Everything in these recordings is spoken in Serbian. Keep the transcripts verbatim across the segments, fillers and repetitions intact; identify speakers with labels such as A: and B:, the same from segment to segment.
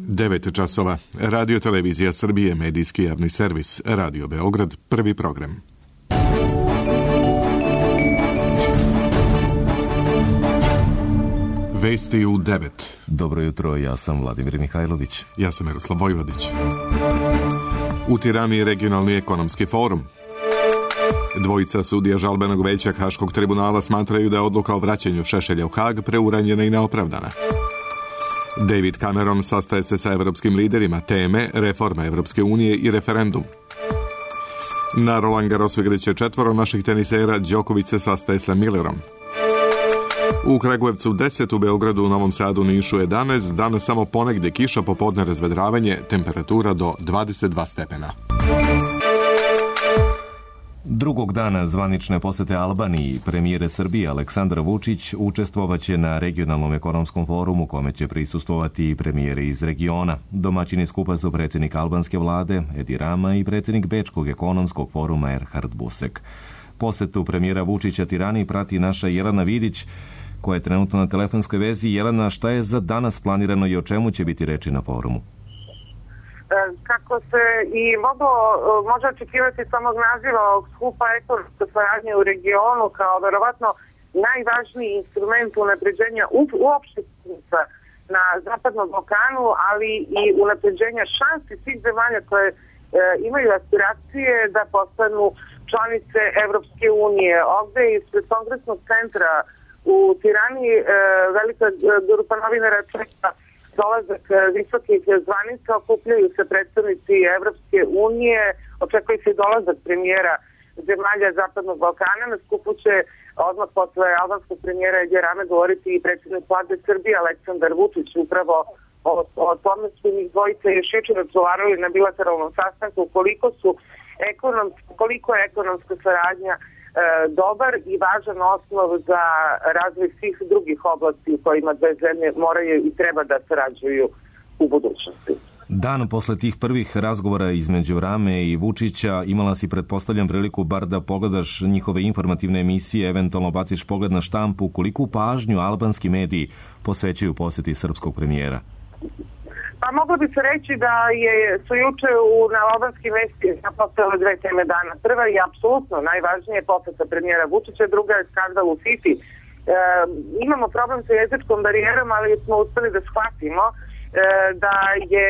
A: devet časova. Radio Televizija Srbije, medijski javni servis. Radio Beograd, prvi program. Vesti u devet.
B: Dobro jutro, ja sam Vladimir Mihajlović.
A: Ja sam Miroslav Vojvodić. U Tirani regionalni ekonomski forum. Dvojica sudija žalbenog veća Haškog tribunala smatraju da je odluka o vraćanju Šešelja u Hag preuranjena i neopravdana. David Cameron sastaje se sa evropskim liderima, teme reforma Evropske unije i referendum. Na Roland Garrosu igraće četvoro naših tenisera, Đoković se sastaje sa Millerom. U Kragujevcu deset, u Beogradu, u Novom Sadu, Nišu jedanaest, danas samo ponegdje kiša, popodne razvedravanje, temperatura do dvadeset dva stepena.
B: Drugog dana zvanične posete Albaniji premijer Srbije Aleksandar Vučić učestvovaće na regionalnom ekonomskom forumu kome će prisustvovati i premijeri iz regiona. Domaćini skupa su predsjednik albanske vlade Edi Rama i predsjednik Bečkog ekonomskog foruma Erhard Busek. Posetu premijera Vučića Tirani prati naša Jelena Vidić, koja je trenutno na telefonskoj vezi. Jelena, šta je za danas planirano i o čemu će biti reči na forumu?
C: Kako se i moglo, može očekivati samog naziva ovog skupa ekonomske saradnje u regionu kao verovatno najvažniji instrument unapređenja uopšte na Zapadnom Balkanu, ali i unapređenja šansi svih zemalja koje e, imaju aspiracije da postanu članice Evropske unije. Ovde ispred Kongresnog centra u Tirani e, velika grupa novinara čeka dolazak visokih zvanica, okupljaju se predstavnici Evropske unije, očekuje se dolazak premijera zemalja Zapadnog Balkana. Na skupu će odmah posle albanskog premijera Edi Rame govoriti i predsjednik vlade Srbije Aleksandar Vučić. Upravo o, o tome su njih dvojice još jučer razgovarali na bilateralnom sastanku koliko su ekonomski, koliko je ekonomska saradnja dobar i važan osnov za razvoj svih drugih oblasti u kojima dve zemlje moraju i treba da sarađuju u budućnosti.
B: Dan posle tih prvih razgovora između Rame i Vučića imala si, pretpostavljam, priliku bar da pogledaš njihove informativne emisije, eventualno baciš pogled na štampu. Koliku pažnju albanski mediji posvećuju posjeti srpskog premijera?
C: Pa moglo bi se reći da je, su juče u, na albanskim vestima postojale dve teme dana. Prva je apsolutno najvažnije poseta premijera Vučića, druga je skandal u Fifi. E, imamo problem sa jezičkom barijerom, ali smo uspeli da shvatimo e, da je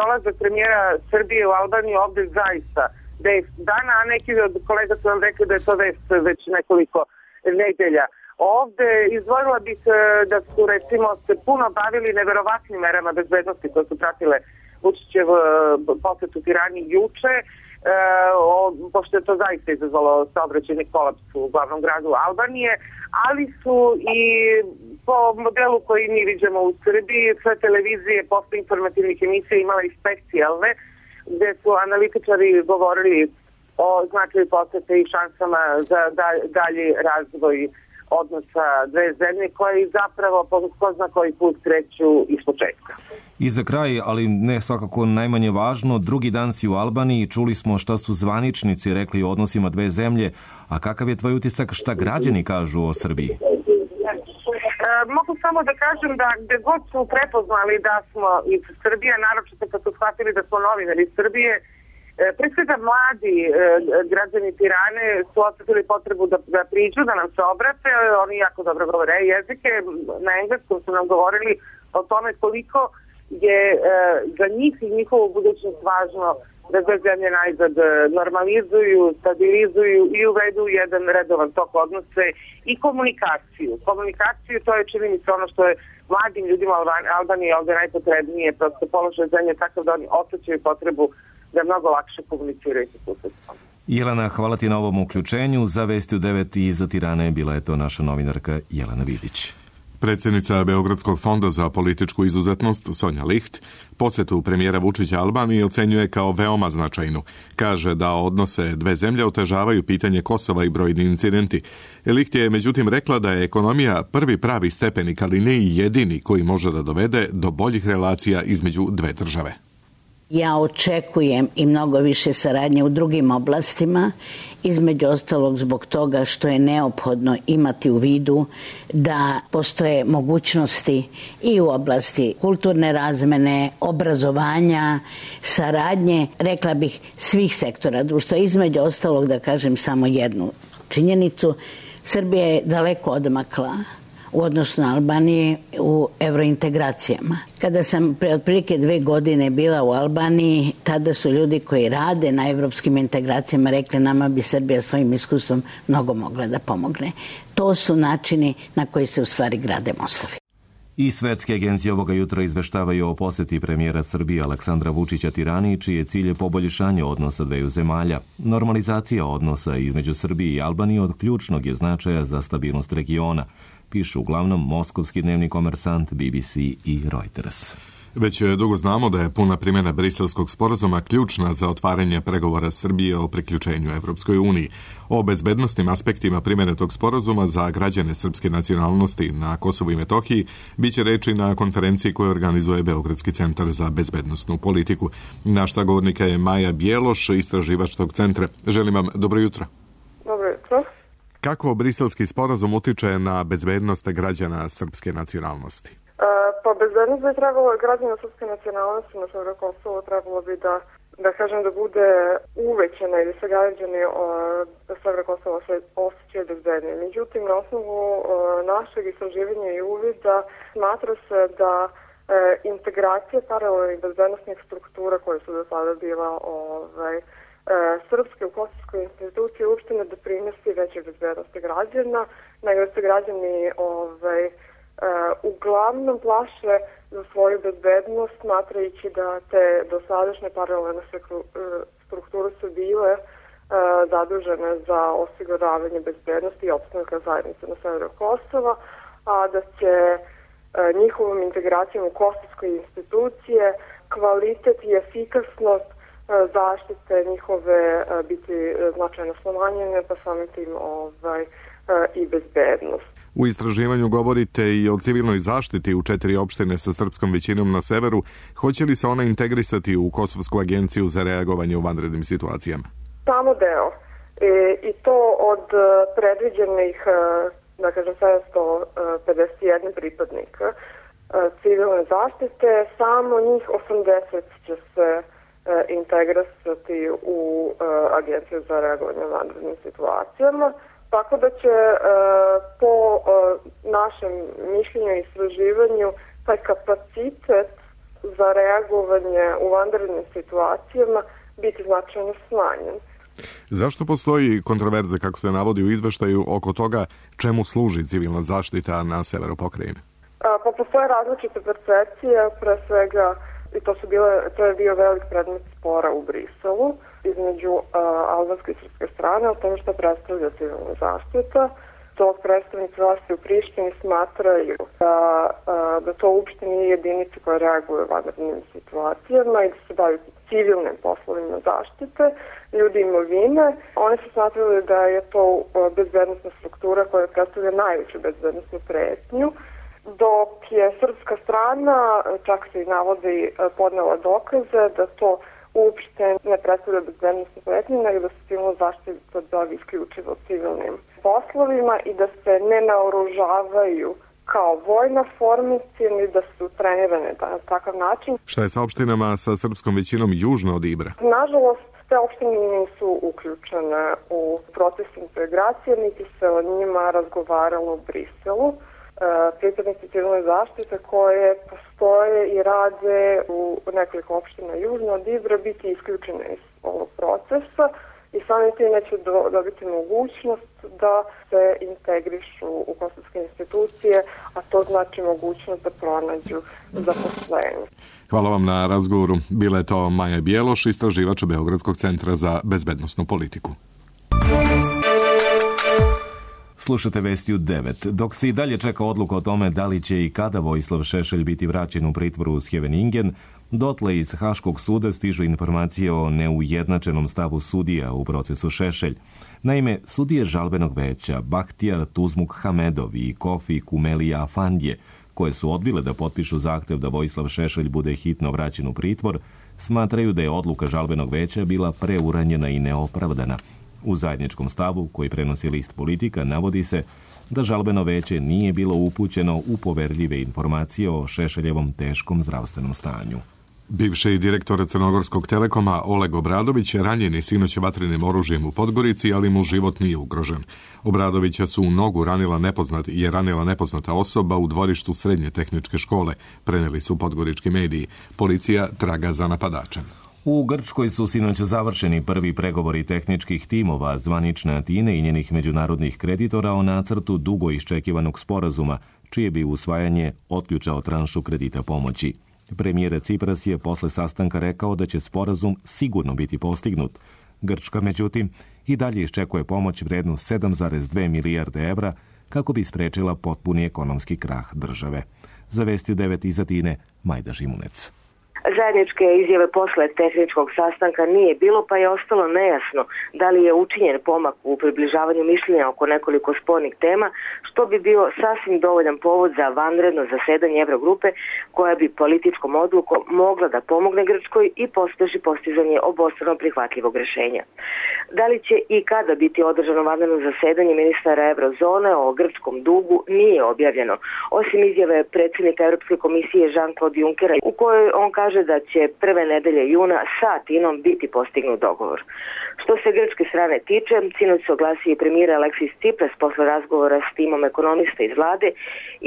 C: dolazak premijera Srbije u Albaniju ovde zaista vest dana, a neki od kolega su vam rekli da je to vest već nekoliko nedelja. Ovde izdvojila bih da su recimo se puno bavili neverovatnim merama bezbednosti koje su pratile Vučićev posetu Tirani juče, e, o, pošto je to zaista izazvalo saobraćajni kolaps u glavnom gradu Albanije, ali su i po modelu koji mi viđamo u Srbiji, sve televizije posle informativnih emisija imale i specijalne, gde su analitičari govorili o značaju posete i šansama za dalji razvoj odnosa dve zemlje koje zapravo ko zna koji put kreću iz početka.
B: I za kraj, ali ne svakako najmanje važno, drugi dan si u Albaniji, čuli smo šta su zvaničnici rekli o odnosima dve zemlje, a kakav je tvoj utisak, šta građani kažu o Srbiji?
C: E, mogu samo da kažem da gde god su prepoznali da smo iz Srbije, naročito kad su shvatili da smo novinari iz Srbije, pre svega mladi e, građani Tirane su osjetili potrebu da, da priđu, da nam se obrate. Oni jako dobro govore jezike. Na engleskom su nam govorili o tome koliko je e, za njih i njihovu budućnost važno da dve zemlje najzad normalizuju, stabilizuju i uvedu jedan redovan tok odnose i komunikaciju. Komunikaciju, to je, čini mi se, ono što je mladim ljudima Albanije ovdje najpotrebnije, prosto položaj zemlje takav da oni osjećaju potrebu da mnogo lakše komuniciraju sa susedstvom.
B: Jelena, hvala ti na ovom uključenju. Za Vesti u devet i za Tirane bila je to naša novinarka Jelena Vidić.
A: Predsjednica Beogradskog fonda za političku izuzetnost Sonja Licht posjetu premijera Vučića Albaniji ocenjuje kao veoma značajnu. Kaže da odnose dve zemlje otežavaju pitanje Kosova i brojni incidenti. Licht je međutim rekla da je ekonomija prvi pravi stepenik, ali ne i jedini koji može da dovede do boljih relacija između dve države.
D: Ja očekujem i mnogo više saradnje u drugim oblastima, između ostalog zbog toga što je neophodno imati u vidu da postoje mogućnosti i u oblasti kulturne razmene, obrazovanja, saradnje, rekla bih, svih sektora društva. Između ostalog, da kažem samo jednu činjenicu, Srbija je daleko odmakla u odnosu na Albaniju u evrointegracijama. Kada sam pre otprilike dve godine bila u Albaniji, tada su ljudi koji rade na evropskim integracijama rekli nama bi Srbija svojim iskustvom mnogo mogla da pomogne. To su načini na koji se u stvari grade mostovi.
B: I svetske agencije ovoga jutra izveštavaju o poseti premijera Srbije Aleksandra Vučića Tirani, čiji je cilj poboljšanje odnosa dveju zemalja. Normalizacija odnosa između Srbije i Albanije od ključnog je značaja za stabilnost regiona, pišu uglavnom moskovski dnevni Komersant, B B C i Reuters.
A: Već dugo znamo da je puna primjena Briselskog sporazuma ključna za otvaranje pregovora Srbije o priključenju Evropskoj uniji. O bezbednosnim aspektima primjene tog sporazuma za građane srpske nacionalnosti na Kosovu i Metohiji biće reči na konferenciji koju organizuje Beogradski centar za bezbednosnu politiku. Naš sagovornika je Maja Bjeloš, istraživač tog centra. Želim vam dobro jutro.
C: Dobro jutro.
A: Kako Briselski sporazum utiče na bezbednost građana srpske nacionalnosti?
C: Pa bezbednost bi trebalo, građana srpske nacionalnosti na severu Kosova trebalo bi da, da kažem, da bude uvećena i da se građani da severu Kosova se osjećaju bezbednije. Međutim, na osnovu našeg istraživanja i uvida smatra se da e, integracija paralelnih bezbednostnih struktura koje su do sada bila ovaj, e, srpske u kosovskoj instituciji uopšte ne doprinosi veće bezbednosti građana, nego se građani ovaj, Uh, uglavnom plaše za svoju bezbednost, smatrajući da te dosadašnje paralelne strukture su bile uh, zadužene za osiguravanje bezbednosti i opstanka zajednice na severu Kosova, a da će uh, njihovom integracijom u kosovske institucije kvalitet i efikasnost uh, zaštite njihove uh, biti značajno smanjene, pa samim tim ovaj, uh, i bezbednost.
A: U istraživanju govorite i o civilnoj zaštiti u četiri opštine sa srpskom većinom na severu. Hoće li se ona integrisati u Kosovsku agenciju za reagovanje u vanrednim situacijama?
C: Samo deo. E, I to od predviđenih, da kažem, sedamsto pedeset jedan pripadnika civilne zaštite, samo njih osamdeset će se integrisati u agenciju za reagovanje u vanrednim situacijama. Tako da će e, po e, našem mišljenju i istraživanju taj kapacitet za reagovanje u vanrednim situacijama biti značajno smanjen.
A: Zašto postoji kontroverza, kako se navodi u izveštaju, oko toga čemu služi civilna zaštita na severu pokrajine?
C: A, pa postoje različite percepcije, pre svega, i to, su bile, to je bio velik predmet spora u Briselu između uh, albanske i srpske strane o tome što predstavlja civilna zaštita. Dok predstavnici vlasti u Prištini smatraju da, uh, da to uopšte nije jedinica koja reaguje u vanrednim situacijama i da se bavi civilnim poslovima zaštite ljudi imovine. Oni su smatrali da je to uh, bezbednostna struktura koja predstavlja najveću bezbednostnu pretnju, dok je srpska strana, čak se i navodi, podnela dokaze da to uopšte ne predstavlja bezbednostnu pretnju, nego da se civilna zaštita bavi isključivo civilnim poslovima i da se ne naoružavaju kao vojna formacija, ni da su trenirane na takav način.
A: Šta je sa opštinama sa srpskom većinom južno od Ibra?
C: Nažalost, te opštine nisu uključene u proces integracije, niti se o njima razgovaralo u Briselu. Pripadnici civilne zaštite koje postoje i rade u nekoliko opština južno od Ibra biti isključene iz ovog procesa i samim tim neće do, dobiti mogućnost da se integrišu u kosovske institucije, a to znači mogućnost da pronađu zaposlenje.
A: Hvala vam na razgovoru. Bila je to Maja Bjeloš, istraživač Beogradskog centra za bezbednosnu politiku.
B: Slušate vesti u devet. Dok se i dalje čeka odluka o tome da li će i kada Vojislav Šešelj biti vraćen u pritvoru u Scheveningen, dotle iz Haškog suda stižu informacije o neujednačenom stavu sudija u procesu Šešelj. Naime, sudije žalbenog veća Bahtijar Tuzmuk Hamedov i Kofi Kumelija Afandije, koje su odbile da potpišu zahtev da Vojislav Šešelj bude hitno vraćen u pritvor, smatraju da je odluka žalbenog veća bila preuranjena i neopravdana. U zajedničkom stavu, koji prenosi list Politika, navodi se da žalbeno veće nije bilo upućeno u poverljive informacije o Šešeljevom teškom zdravstvenom stanju.
A: Bivši direktor Crnogorskog Telekoma Oleg Obradović je ranjen sinoć vatrenim oružjem u Podgorici, ali mu život nije ugrožen. Obradovića su u nogu ranila nepoznat, je ranila nepoznata osoba u dvorištu srednje tehničke škole, preneli su podgorički mediji. Policija traga za napadačem.
B: U Grčkoj su sinoć završeni prvi pregovori tehničkih timova zvanične Atine i njenih međunarodnih kreditora o nacrtu dugo iščekivanog sporazuma, čije bi usvajanje otključao tranšu kredita pomoći. Premijer Cipras je posle sastanka rekao da će sporazum sigurno biti postignut. Grčka, međutim, i dalje iščekuje pomoć vrednu sedam zarez dve milijarde evra kako bi sprečila potpuni ekonomski krah države. Za Vesti devet iz Atine, Majda Žimunec.
E: Zajedničke izjave posle tehničkog sastanka nije bilo, pa je ostalo nejasno da li je učinjen pomak u približavanju mišljenja oko nekoliko spornih tema, što bi bio sasvim dovoljan povod za vanredno zasedanje Evrogrupe, koja bi političkom odlukom mogla da pomogne Grčkoj i pospeši postizanje obostrano prihvatljivog rešenja. Da li će i kada biti održano vanredno zasedanje ministara Evrozone o grčkom dugu nije objavljeno, osim izjave predsjednika Europske komisije Jean-Claude Junckera, u kojoj on kaže da će prve nedelje juna sa Atinom biti postignut dogovor. Što se grčke strane tiče, sinoć se oglasio i premijer Aleksis Tsipras posle razgovora s timom ekonomista iz vlade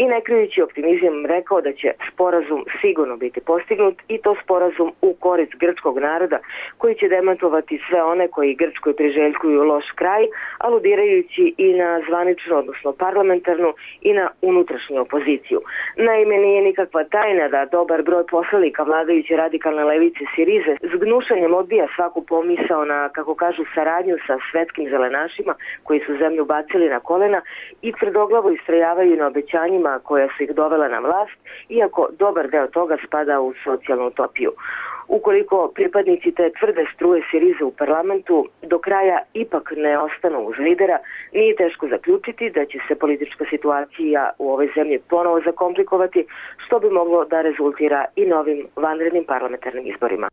E: i ne krijući optimizam rekao da će sporazum sigurno biti postignut i to sporazum u korist grčkog naroda koji će demantovati sve one koji Grčkoj priželjkuju loš kraj, aludirajući i na zvaničnu, odnosno parlamentarnu i na unutrašnju opoziciju. Naime, nije nikakva tajna da dobar broj poslanika vladajuće radikalne levice Sirize s gnušanjem odbija svaku pomisao na, kako kažu, saradnju sa svetskim zelenašima koji su zemlju bacili na kolena i tvrdoglavo istrajavaju na obećanjima koja su ih dovela na vlast, iako dobar deo toga spada u socijalnu utopiju. Ukoliko pripadnici te tvrde struje Sirize u parlamentu do kraja ipak ne ostanu uz lidera, nije teško zaključiti da će se politička situacija u ovoj zemlji ponovo zakomplikovati, što bi moglo da rezultira i novim vanrednim parlamentarnim izborima.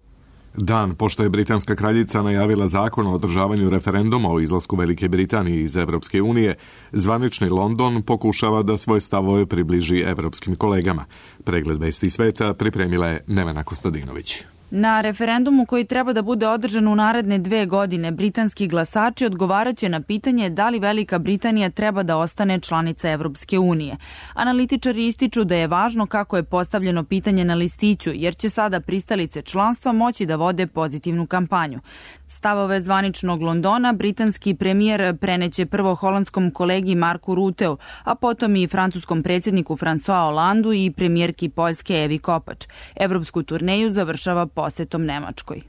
A: Dan pošto je britanska kraljica najavila zakon o održavanju referenduma o izlasku Velike Britanije iz Evropske unije, zvanični London pokušava da svoje stavove približi evropskim kolegama. Pregled vesti sveta pripremila je Nevena Kostadinović.
F: Na referendumu koji treba da bude održan u naredne dve godine, britanski glasači odgovaraće na pitanje da li Velika Britanija treba da ostane članica Evropske unije. Analitičari ističu da je važno kako je postavljeno pitanje na listiću, jer će sada pristalice članstva moći da vode pozitivnu kampanju. Stavove zvaničnog Londona britanski premijer preneće prvo holandskom kolegi Marku Ruteu, a potom i francuskom predsjedniku François Hollandu i premijerki Poljske Evi Kopač. Evropsku turneju završava posetom Nemačkoj.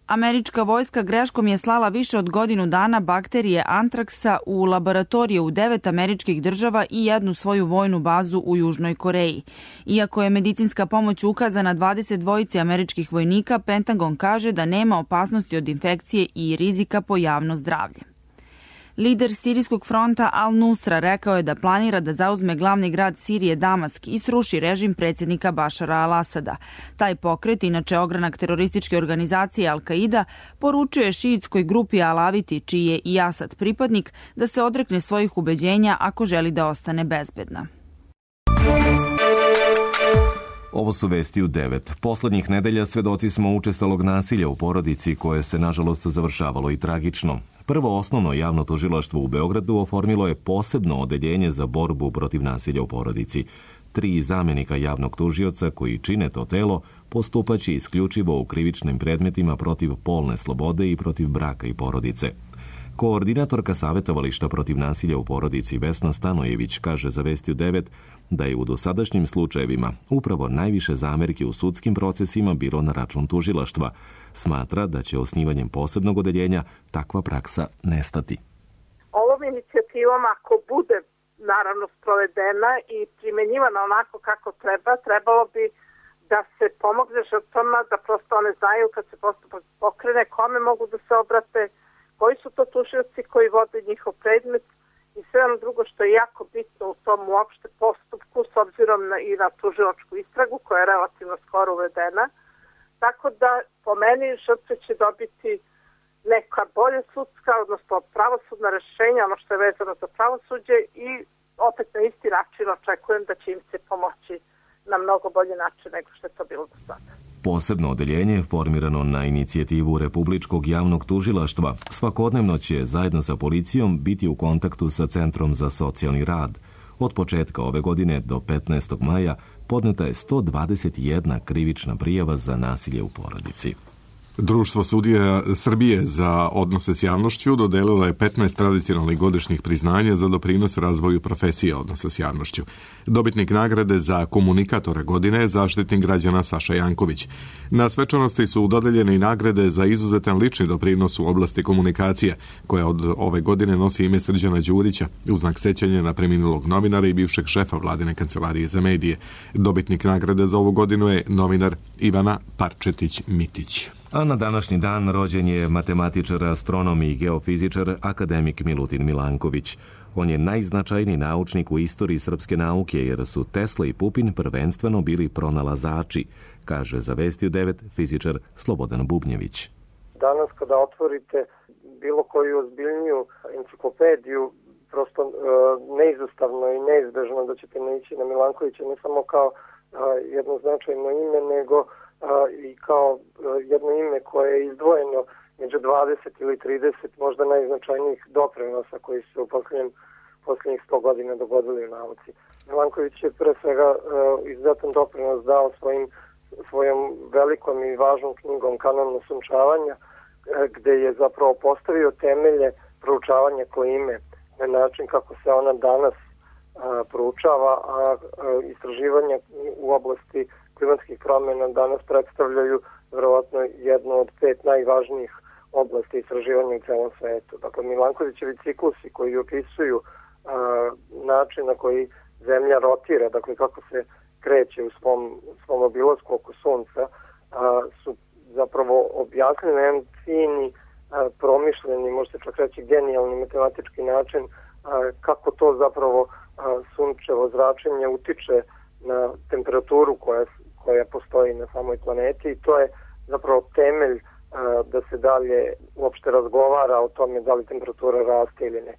F: Američka vojska greškom je slala više od godinu dana bakterije antraksa u laboratorije u devet američkih država i jednu svoju vojnu bazu u Južnoj Koreji. Iako je medicinska pomoć ukazana dvadeset dvojici američkih vojnika, Pentagon kaže da nema opasnosti od infekcije i rizika po javno zdravlje. Lider Sirijskog fronta Al-Nusra rekao je da planira da zauzme glavni grad Sirije Damask i sruši režim predsjednika Bašara al-Asada. Taj pokret, inače ogranak terorističke organizacije Al-Qaida, poručuje šiitskoj grupi Alaviti, čiji je i Asad pripadnik, da se odrekne svojih ubeđenja ako želi da ostane bezbedna.
B: Ovo su vesti u devet. Poslednjih nedelja svedoci smo učestalog nasilja u porodici koje se nažalost završavalo i tragično. Prvo osnovno javno tužilaštvo u Beogradu oformilo je posebno odeljenje za borbu protiv nasilja u porodici. Tri zamenika javnog tužioca koji čine to telo postupaće isključivo u krivičnim predmetima protiv polne slobode i protiv braka i porodice. Koordinatorka savjetovališta protiv nasilja u porodici Vesna Stanojević kaže za Vesti u devet da je u dosadašnjim slučajevima upravo najviše zamerke u sudskim procesima bilo na račun tužilaštva. Smatra da će osnivanjem posebnog odeljenja takva praksa nestati.
G: Ovom inicijativom, ako bude naravno sprovedena i primjenjivana onako kako treba, trebalo bi da se pomogne žrtvama, da prosto one znaju kad se postupak pokrene, kome mogu da se obrate, koji su to tužioci koji vode njihov predmet i sve ono drugo što je jako bitno u tom uopšte postupku s obzirom na, i na tužilačku istragu koja je relativno skoro uvedena. Tako da po meni žrtve će dobiti neka bolja sudska, odnosno pravosudna rešenja, ono što je vezano za pravosuđe, i opet na isti način očekujem da će im se pomoći na mnogo bolji način nego što je to bilo do sada.
B: Posebno odeljenje, formirano na inicijativu Republičkog javnog tužilaštva, svakodnevno će zajedno sa policijom biti u kontaktu sa Centrom za socijalni rad. Od početka ove godine do petnaestog maja podneta je sto dvadeset jedna krivična prijava za nasilje u porodici.
A: Društvo sudija Srbije za odnose s javnošću dodelilo je petnaest tradicionalnih godišnjih priznanja za doprinos razvoju profesije odnosa s javnošću. Dobitnik nagrade za komunikatora godine je Zaštitnik građana Saša Janković. Na svečanosti su dodeljene i nagrade za izuzetan lični doprinos u oblasti komunikacije, koja od ove godine nosi ime Srđana Đurića, u znak sećanja na preminulog novinara i bivšeg šefa Vladine kancelarije za medije. Dobitnik nagrade za ovu godinu je novinar Ivana Parčetić-Mitić.
B: A na današnji dan rođen je matematičar, astronom i geofizičar akademik Milutin Milanković. On je najznačajniji naučnik u istoriji srpske nauke, jer su Tesla i Pupin prvenstveno bili pronalazači, kaže za Vesti u devet fizičar Slobodan Bubnjević.
H: Danas kada otvorite bilo koju ozbiljniju enciklopediju, prosto e, neizostavno i neizbežno da ćete naići na Milankovića, ne samo kao e, jedno značajno ime, nego i kao jedno ime koje je izdvojeno među dvadeset ili trideset možda najznačajnijih doprinosa koji su u posljednjim, posljednjih sto godina dogodili u nauci. Milanković je pre svega izuzetan doprinos dao svojim, svojom velikom i važnom knjigom Kanon osunčavanja, gde je zapravo postavio temelje proučavanja klime na način kako se ona danas a, proučava, a, a istraživanja u oblasti klimatskih promjena danas predstavljaju verovatno jednu od pet najvažnijih oblasti istraživanja u celom svetu. Dakle, Milankovićevi ciklusi koji opisuju a, način na koji Zemlja rotira, dakle kako se kreće u svom, svom obilasku oko Sunca, a, su zapravo objasnili na jedan fini, a, promišljeni, može se čak reći genijalni matematički način a, kako to zapravo a, sunčevo zračenje utiče na temperaturu koja koja postoji na samoj planeti, i to je zapravo temelj a, da se dalje uopšte razgovara o tome da li temperatura raste ili ne.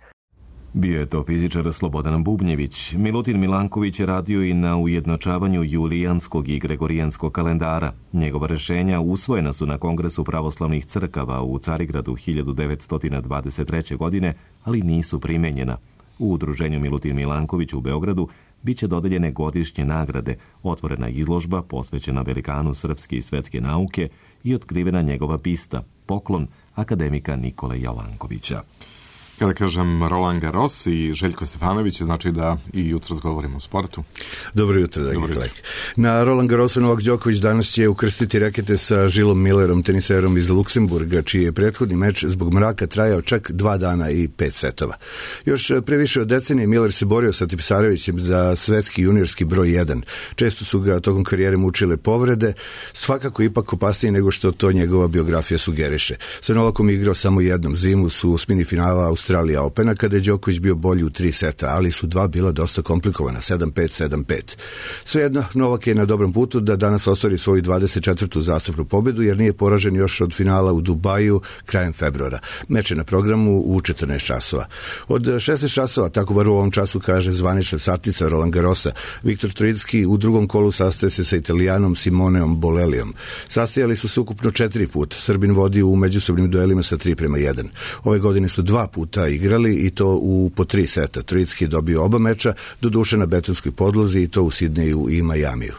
B: Bio je to fizičar Slobodan Bubnjević. Milutin Milanković je radio i na ujednačavanju julijanskog i gregorijanskog kalendara. Njegova rešenja usvojena su na Kongresu pravoslavnih crkava u Carigradu hiljadu devetsto dvadeset treće. godine, ali nisu primenjena. U udruženju Milutin Milanković u Beogradu biće dodeljene godišnje nagrade, otvorena izložba posvećena velikanu srpske i svetske nauke i otkrivena njegova pista, poklon akademika Nikole Jovankovića.
A: Kada kažem Roland Garros i Željko Stefanović, znači da i jutros govorimo o sportu.
I: Dobro jutro, dragi kolega. Na Roland Garrosu Novak Đoković danas će ukrstiti rakete sa Žilom Millerom, teniserom iz Luksemburga, čiji je prethodni meč zbog mraka trajao čak dva dana i pet setova. Još pre više od decenije Miller se borio sa Tipsarevićem za svetski juniorski broj jedan. Često su ga tokom karijere mučile povrede, svakako ipak opasnije nego što to njegova biografija sugeriše. Sa Novakom igrao samo jednom zimu su u osmini finala Australija Opena, kada je Đoković bio bolji u tri seta, ali su dva bila dosta komplikovana, sedam pet sedam pet. Svejedno, Novak je na dobrom putu da danas ostvari svoju dvadeset četvrtu zastupnu pobedu, jer nije poražen još od finala u Dubaju krajem februara. Meč je na programu u četrnaest časova. Od šesnaest časova, tako bar u ovom času kaže zvanična satnica Roland Garrosa, Viktor Troicki u drugom kolu sastaje se sa Italijanom Simoneom Bolelijom. Sastajali su se ukupno četiri puta. Srbin vodi u međusobnim duelima sa tri prema jedan. Ove godine su dva puta igrali i to u po tri seta. Troicki je dobio oba meča, doduše na betonskoj podlozi, i to u Sidneju i Majamiju.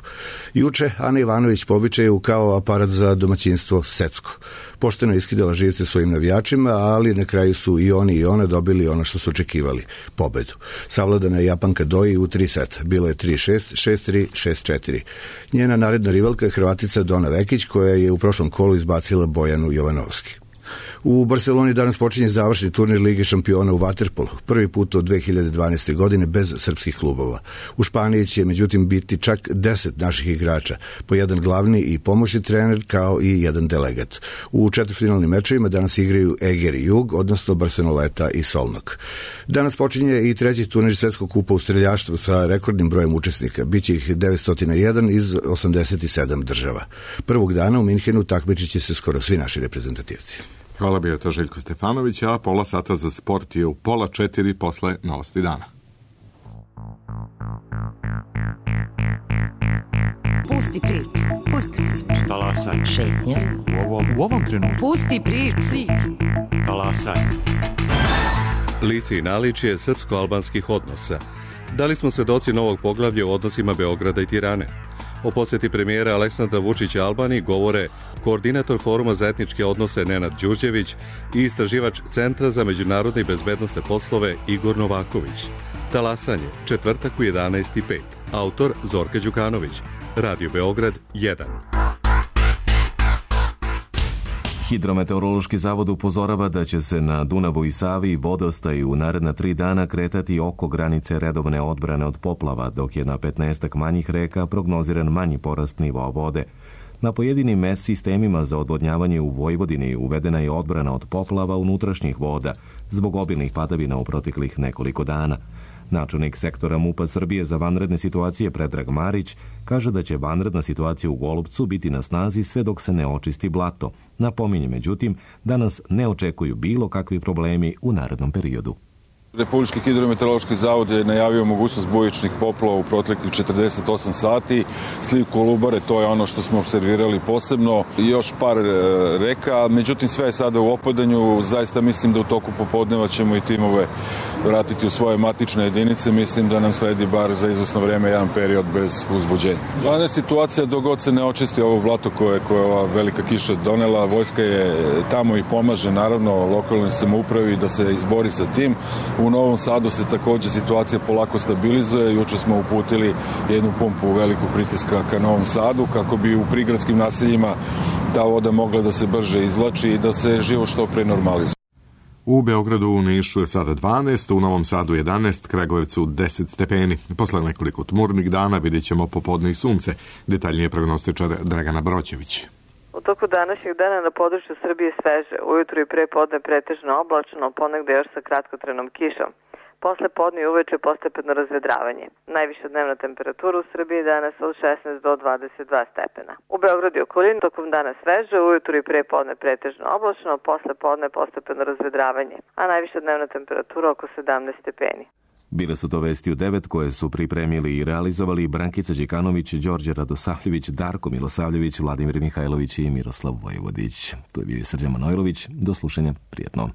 I: Juče Ana Ivanović po običaju kao aparat za domaćinstvo secko. Pošteno je iskidala živce svojim navijačima, ali na kraju su i oni i ona dobili ono što su očekivali, pobedu. Savladana je Japanka Doi u tri seta. Bilo je tri šest, šest tri, šest četiri. Njena naredna rivalka je Hrvatica Dona Vekić, koja je u prošlom kolu izbacila Bojanu Jovanovski. U Barceloni danas počinje završni turnir Lige šampiona u vaterpolu, prvi put od dve hiljade dvanaeste. godine bez srpskih klubova. U Španiji će međutim biti čak deset naših igrača, po jedan glavni i pomoćni trener kao i jedan delegat. U četvrtfinalnim mečevima danas igraju Eger i Jug, odnosno Barceloneta i Solnok. Danas počinje i treći turnir Svetskog kupa u streljaštvu sa rekordnim brojem učesnika. Biće ih devetsto jedan iz osamdeset sedam država. Prvog dana u Minhenu takmičit će se skoro svi naši reprezentativci.
A: Hvala, bio je to Željko Stefanović, a pola sata za sport je u pola četiri posle novosti dana.
J: Pusti priču, pusti priču.
K: Talasaj.
J: Šetnja.
K: U ovom, u ovom trenutku.
J: Pusti priču, priču.
K: Talasaj.
L: Lice i naličje srpsko-albanskih odnosa. Da li smo svedoci novog poglavlja u odnosima Beograda i Tirane? O posjeti premijera Aleksandra Vučića Albaniji govore koordinator Foruma za etničke odnose Nenad Đurđević i istraživač Centra za međunarodne i bezbednosne poslove Igor Novaković. Talasanje, četvrtak u jedanaest i pet. Autor Zorka Đukanović. Radio Beograd jedan.
B: Hidrometeorološki zavod upozorava da će se na Dunavu i Savi vodostaj u naredna tri dana kretati oko granice redovne odbrane od poplava, dok je na petnaestak manjih reka prognoziran manji porast nivoa vode. Na pojedinim mes sistemima za odvodnjavanje u Vojvodini uvedena je odbrana od poplava unutrašnjih voda zbog obilnih padavina u proteklih nekoliko dana. Načelnik sektora MUP-a Srbije za vanredne situacije Predrag Marić kaže da će vanredna situacija u Golupcu biti na snazi sve dok se ne očisti blato. Napominje, međutim, da nas ne očekuju bilo kakvi problemi u narednom periodu.
M: Republički hidrometeorološki zavod je najavio mogućnost bujičnih poplava u proteklih četrdeset osam sati. Sliv Kolubare, to je ono što smo observirali posebno. I još par reka, međutim sve je sada u opadanju. Zaista mislim da u toku popodneva ćemo i timove vratiti u svoje matične jedinice. Mislim da nam sledi bar za izvesno vreme jedan period bez uzbuđenja. Zvana situacija dok god se ne očisti ovo blato koje, koje je ova velika kiša donela. Vojska je tamo i pomaže naravno lokalnoj samoupravi da se izbori sa tim. U Novom Sadu se također situacija polako stabilizuje. Juče smo uputili jednu pumpu velikog pritiska ka Novom Sadu kako bi u prigradskim naseljima ta voda mogla da se brže izvlači i da se život što pre normalizuje.
A: U Beogradu u Nišu je sada dvanaest, u Novom Sadu jedanaest, Kragujevcu deset stepeni. Posle nekoliko tmurnih dana vidjet ćemo popodne i sunce. Detaljnije prognostičar Dragana Broćević.
N: U toku današnjeg dana na području Srbije sveže, ujutru i pre podne pretežno oblačno, ponegde još sa kratkotrenom kišom. Posle podne i uveče postepeno razvedravanje. Najviša dnevna temperatura u Srbiji danas od šesnaest do dvadeset dva stepena. U Beogradu i okolini tokom dana sveže, ujutru i pre podne pretežno oblačno, posle podne postepeno razvedravanje, a najviša dnevna temperatura oko sedamnaest stepeni.
B: Bile su to vesti u devet koje su pripremili i realizovali Brankica Đikanović, Đorđe Radosavljević, Darko Milosavljević, Vladimir Mihajlović i Miroslav Vojvodić. Tu je bio Srđan Manojlović. Do slušanja. Prijetno.